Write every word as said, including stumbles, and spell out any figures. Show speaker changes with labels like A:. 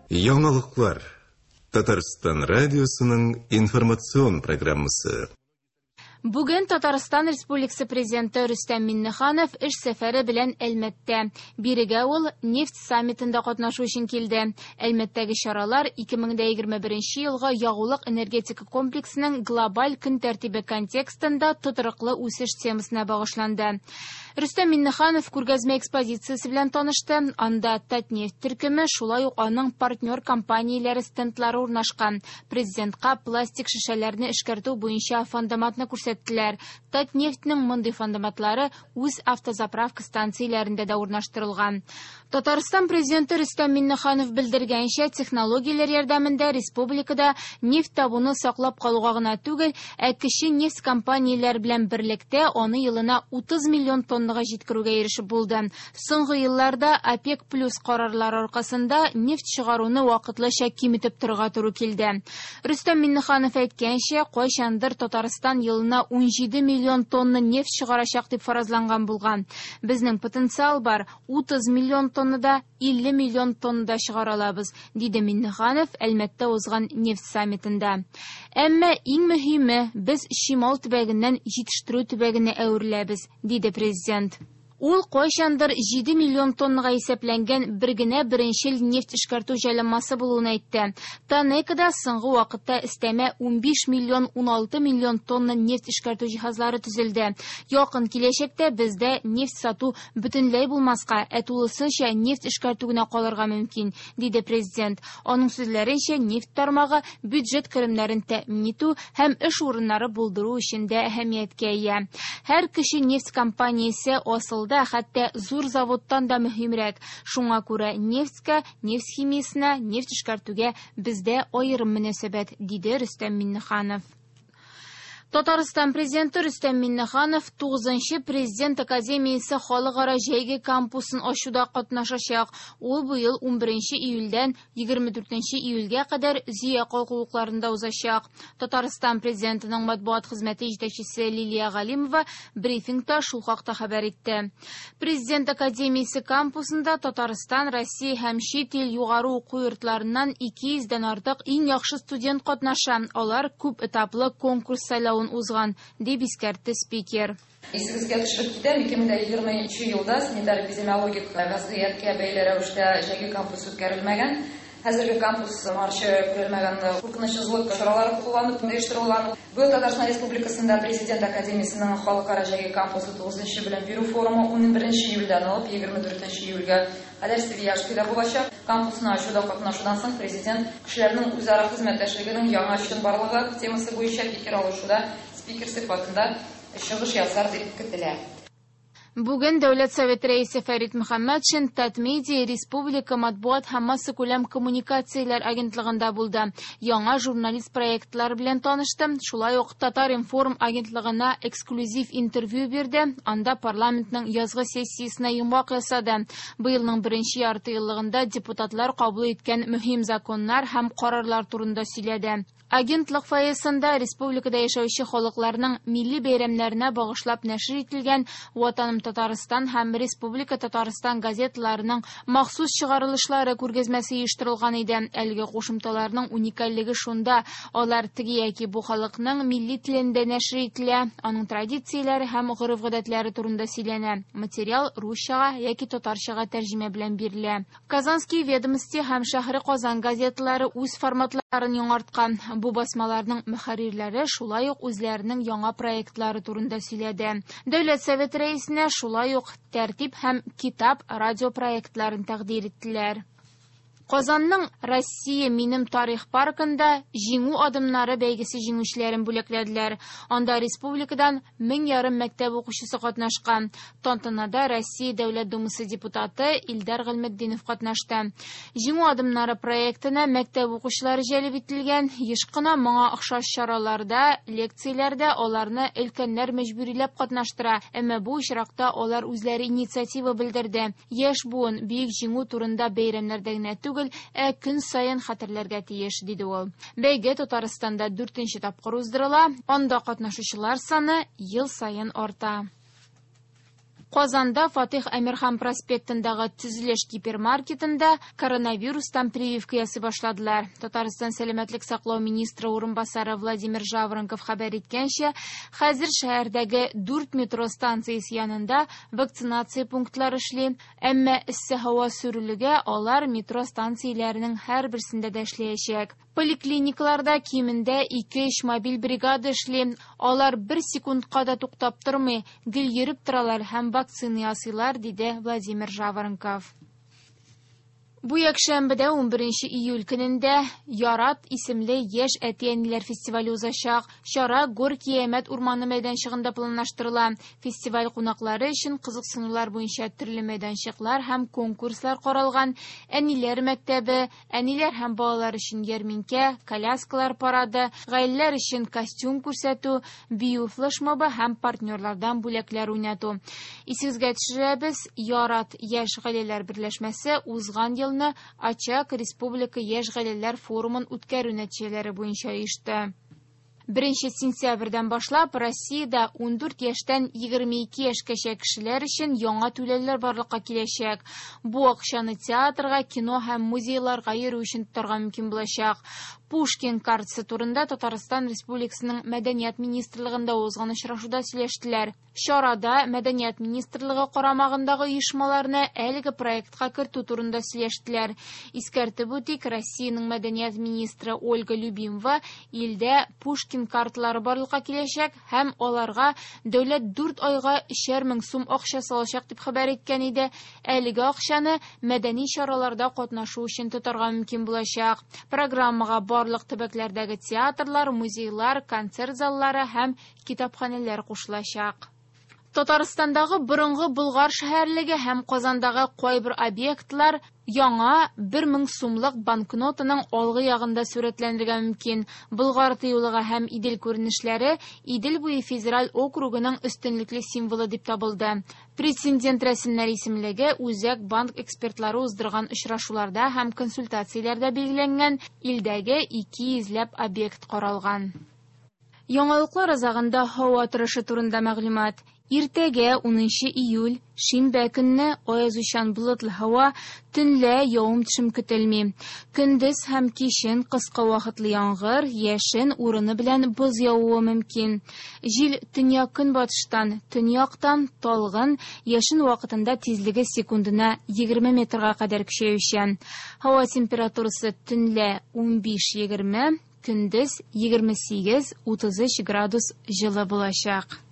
A: Яңалыклар. Татарстан радиосының информацион программасы.
B: Бүген Татарстан Республикасы Президенты Рөстәм Миңнеханов эш сәфәре белән Әлмәттә. Бирегә ул нефть саммитында катнашу өчен килде. Әлмәттәге чаралар ике мең дә егерме беренче елгы ягулык энергетика комплексының глобаль көн тәртибе контекстында тотрыклы үсеш темасына багышланды. Рөстәм Миңнеханов күргәзмә экспозициясе белән танышты. Анда Татнефть төркеме, шулай ук аның партнер компанияләре стендлары урнашкан. Президентка пластик шешәләрне эшкәртү буенча фандоматны күрсәттеләр. Татнефтьнең мондый фандоматлары үз автозаправка станцияләрендә дә урнаштырылган. Татарстан президенты Рөстәм Миңнеханов белдергәнчә, технологияләр ярдәмендә республикада нефть табуны саклап калуга гына түгел, ә кече нефть компанияләр белән берлектә аны елына утыз миллион тоннага җиткерүгә ирешеп булды. Соңгы елларда ОПЕК плюс карарлары аркасында нефть чыгаруны вакытлыча киметеп торырга туры килде. Рөстәм Миңнеханов әйткәнчә, кайчандыр Татарстан елына унҗиде миллион тонна нефть чыгарачак дип фаразланган булган. Безнең потенциал бар, утыз миллион тоннада илле миллион тоннада чыгара алабыз, диде Миңнеханов Әлмәттә узган нефть саммитында. Әмма иң мөһиме, без чимал төбәгеннән җитештерү төбәгенә әвереләбез, диде президент. Ул кайчандыр җиде миллион тоннага исәпләнгән бер генә беренчел нефть эшкәртү җайланмасы булуын әйтте. Танекада соңгы вакытта өстәмә унбиш миллион уналты миллион тонна нефть эшкәртү җиһазлары төзелде. Якын киләчәктә бездә нефть сату бөтенләй булмаска, ә тулысынча нефть эшкәртү генә калырга мөмкин, диде президент. Аның сүзләренчә, нефть тармагы бюджет керемнәрен тәэмин итү һәм эш урыннары булдыру өчен дә әһәмияткә ия. Һәр кеше нефть компаниясе асыл да, хәтта зур заводтан да мөһимрәк. Шуңа күрә нефтькә, нефть химиясенә, нефть эшкәртүгә бездә аерым мөнәсәбәт, диде Рөстәм Миңнеханов. Татарстан президенты Рөстәм Миңнеханов тугызынчы Президент академиясе халыкара җәйге кампусын ачуда катнашачак. Ул быел унберенче июльдән егерме дүртенче июльгә кадәр Зөя калкулыкларында узачак. Татарстан президентының матбугат хезмәте җитәкчесе Лилия Галимова брифингта шул хакта хәбәр итте. Президент академиясе кампусында Татарстан, Россия һәм чит ил югары уку йортларыннан ике йөздән артык иң яхшы студент катнаша. Алар күп этаплы конкурс сайлавын узган, дип искәртте спикер.
C: Исегезгә төшереп китәм, ике мең дә егерменче елда санитар эпидемиологик вазгыятькә бәйле рәвештә җәйге кампус үткәрелмәгән. Хәзерге кампус моңарчы күрелмәгән куркынычсызлык чаралары кулланып оештырылган. Быел Татарстан Республикасында Президент академиясенең халыкара җәйге кампусы тугызынчы белем бирү форумы унберенче июльдән алып егерме дүртенче июльгә кадәр Свияжскида булачак. Кампусны ачуда катнашудан соң президент кешеләрнең үзара хезмәттәшлегенең яңа чынбарлыгы темасы буенча фикер алышуда спикер сыйфатында чыгыш ясар дип көтелә.
B: Бүген Дәүләт Советы рәисе Фәрит Мөхәммәтшин Татмедиа Республика матбугат һәм массакүләм коммуникацияләр агентлыгында булды. Яңа журналист проектлар белән танышты. Шулай ук Татар-информ агентлыгына эксклюзив интервью бирде. Анда парламентның язгы сессиясенә йомгак ясады. Быелның беренче ярты еллыгында депутатлар кабул иткән мөһим законнар һәм карарлар турында сөйләде. Агентлык фойесында республикада яшәүче халыкларның милли бәйрәмнәренә багышлап нәшер ителгән Ватаным Татарстан һәм Республика Татарстан газеталарының махсус чыгарылышлары күргәзмәсе оештырылган иде. Әлеге кушымталарның уникальлеге шунда, алар теге яки бу халыкның милли телендә нәшер ителә, аның традицияләре һәм гореф-гадәтләре турында сөйләнә. Материал русчага яки татарчага тәрҗемә белән бирелә. Казанские ведомости һәм Шәһри Казан газеталары үз форматларын яңарткан. Бу басмаларның мөхәррирләре шулай ук үзләренең яңа проектлары турында сөйләде. Дәүләт Советы рәисенә шулай ук Тәртип һәм Китап радио проектларын тәкъдир иттеләр. Казанның Россия минем тарих паркында Җиңү адымнары бәйгесе җиңүчеләрен бүләкләделәр. Анда республикадан мең ярым мәктәп укучысы катнашкан. Тантанада Россия Дәүләт Думасы депутаты Илдар Гыйлметдинов катнашты. Җиңү адымнары проектына мәктәп укучылары җәлеп ителгән. Еш кына моңа охшаш чараларда, лекцияләрдә аларны өлкәннәр мәҗбүриләп катнаштыра. Әмма бу очракта алар үзләре инициатива белдерде. Яшь буын бөек җиңү турында бәйрәмнәрдә генә түгел, ә көн саен хәтерләргә тиеш, диде ул. Бәйге Татарстанда дүртенче тапкыр уздырыла. Анда катнашучылар саны ел саен арта. Казанда Фатих Әмирхан проспектындагы төзелеш гипермаркетында коронавирустан прививка ясый башладылар. Татарстан сәламәтлек саклау министры урынбасары Владимир Жаворонков хәбәр иткәнчә, хәзер шәһәрдәге дүрт метро станциясе янында вакцинация пунктлары эшли. Әмма эссе һава сүрелүгә алар метро станцияләренең һәрберсендә дә эшләячәк. Поликлиникаларда кимендә ике-өч мобиль бригада эшли. Алар бер секундка да туктап тормый, гел йөреп торалар һәм вакцина ясыйлар, диде Владимир Жаворонков. Бу якшәмбедә унберенче июль көнендә Ярат исемле яшь әти-әниләр фестивале узачак. Чара Горький Әмәт урманы мәйданчыгында планлаштырыла. Фестиваль кунаклары өчен кызыксынулар буенча төрле мәйданчыклар һәм конкурслар каралган. Әниләр мәктәбе, әниләр һәм балалар өчен ярминкә, коляскалар парады, гаиләләр өчен костюм күрсәтү, бию флешмобы һәм партнерлардан бүләкләр уйнату. Исегезгә төшерәбез, Ярат яшь гаиләләр берләшмәсе узган елны Очаг Республика яшь гаиләләр форумын үткәрү нәтиҗәләре буенча оешты. Беренче сентябрьдән башлап Россиядә ундүрт яшьтән егерме ике яшькәчә кешеләр өчен яңа түләүләр барлыкка киләчәк. Бу акчаны театрга, кино һәм музейларга йөрү өчен тотарга мөмкин булачак. Пушкин картасы турында Татарстан Республикасының Мәдәният министрлыгында узган очрашуда сөйләштеләр. Чарада Мәдәният министрлыгы карамагындагы оешмаларны әлеге проектка кертү турында сөйләштеләр. Искәртеп үтик, Россиянең мәдәният министры Ольга Любимова илдә Пушкин карталары барлыкка киләчәк һәм аларга дәүләт дүрт айга өчәр мең сум акча салачак дип хәбәр иткән иде. Әлеге акчаны мәдәни чараларда катнашу өчен тотарга мөмкин булачак. Программага барлык төбәкләрдәге театрлар, музейлар, концерт заллары һәм китапханәләр кушылачак. Татарстандагы борынгы Болгар шәһәрлеге һәм Казандагы кайбер объектлар яңа бер мең сумлык банкнотаның алгы ягында сурәтләнергә мөмкин. Болгар тыюлыгы һәм Идел күренешләре Идел буе федераль округының өстенлекле символы дип табылды. Прецедент рәсемнәр исемлеге Үзәк банк экспертлары уздырган очрашуларда һәм консультацияләрдә билгеләнгән илдәге ике йөзләп объект каралган. Яңалыклар азагында һава торышы турында мәгълүмат. Иртәгә унынчы июль, шимбә көнне аязучан болытлы һава, төнлә явым-төшем көтелми. Көндез һәм кичен кыска вакытлы яңгыр, яшен урыны белән боз явуы мөмкин. Җил төньяк-көнбатыштан, төньяктан талгын, яшен вакытында тизлеге секундына егерме метрга кадәр көчәючән. Һава температурасы төнлә унбиш егерме, көндез егерме сигез утыз өч градус җылы булачак.